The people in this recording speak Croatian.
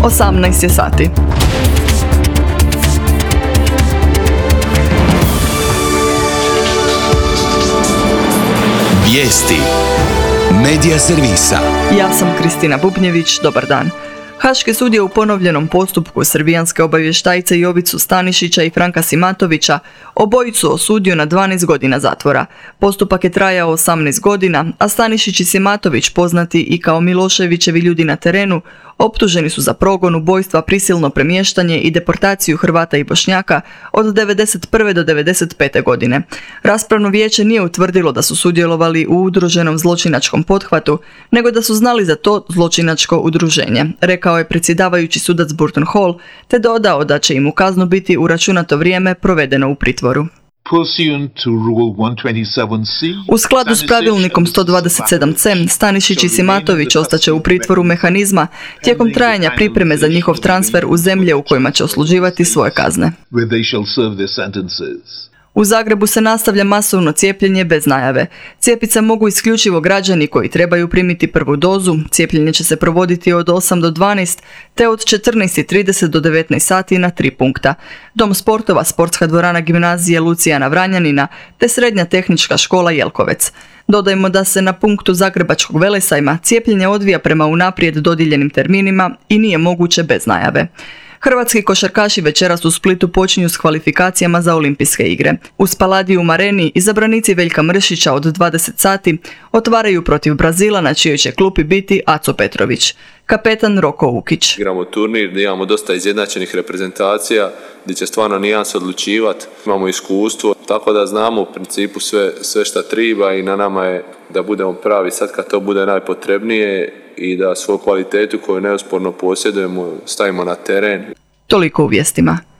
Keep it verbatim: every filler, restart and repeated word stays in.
osamnaest je sati. Vijesti Medija servisa. Ja sam Kristina Bubnjević, dobar dan. Haški sud je u ponovljenom postupku srbijanske obavještajce Jovicu Stanišića i Franka Simatovića obojicu osudio na dvanaest godina zatvora. Postupak je trajao osamnaest godina, a Stanišić i Simatović, poznati i kao Miloševićevi ljudi na terenu, optuženi su za progon, ubojstva, prisilno premještanje i deportaciju Hrvata i Bošnjaka od devedeset prve do devedeset pete godine. Raspravno vijeće nije utvrdilo da su sudjelovali u udruženom zločinačkom pothvatu, nego da su znali za to zločinačko udruženje, rekao je predsjedavajući sudac Burton Hall, te dodao da će im u kaznu biti uračunato vrijeme provedeno u pritvoru. U skladu s pravilnikom sto dvadeset sedam ce, Stanišić i Simatović ostaće u pritvoru mehanizma tijekom trajanja pripreme za njihov transfer u zemlje u kojima će odsluživati svoje kazne. U Zagrebu se nastavlja masovno cijepljenje bez najave. Cijepit se mogu isključivo građani koji trebaju primiti prvu dozu. Cijepljenje će se provoditi od osam do dvanaest te od četrnaest i trideset do devetnaest sati na tri punkta. Dom sportova, sportska dvorana gimnazije Lucijana Vranjanina te srednja tehnička škola Jelkovec. Dodajmo da se na punktu Zagrebačkog Velesajma cijepljenje odvija prema unaprijed dodijeljenim terminima i nije moguće bez najave. Hrvatski košarkaši večeras u Splitu počinju s kvalifikacijama za olimpijske igre. U Spaladium areni izabranici Veljka Mršića od dvadeset sati otvaraju protiv Brazila, na čijoj će klupi biti Aco Petrović. Kapetan Roko Ukić. Igramo turnir gdje imamo dosta izjednačenih reprezentacija, gdje će stvarno nijans odlučivati. Imamo iskustvo, tako da znamo u principu sve, sve šta treba i na nama je da budemo pravi sad kad to bude najpotrebnije i da svoju kvalitetu koju neosporno posjedujemo stavimo na teren. Toliko u vijestima.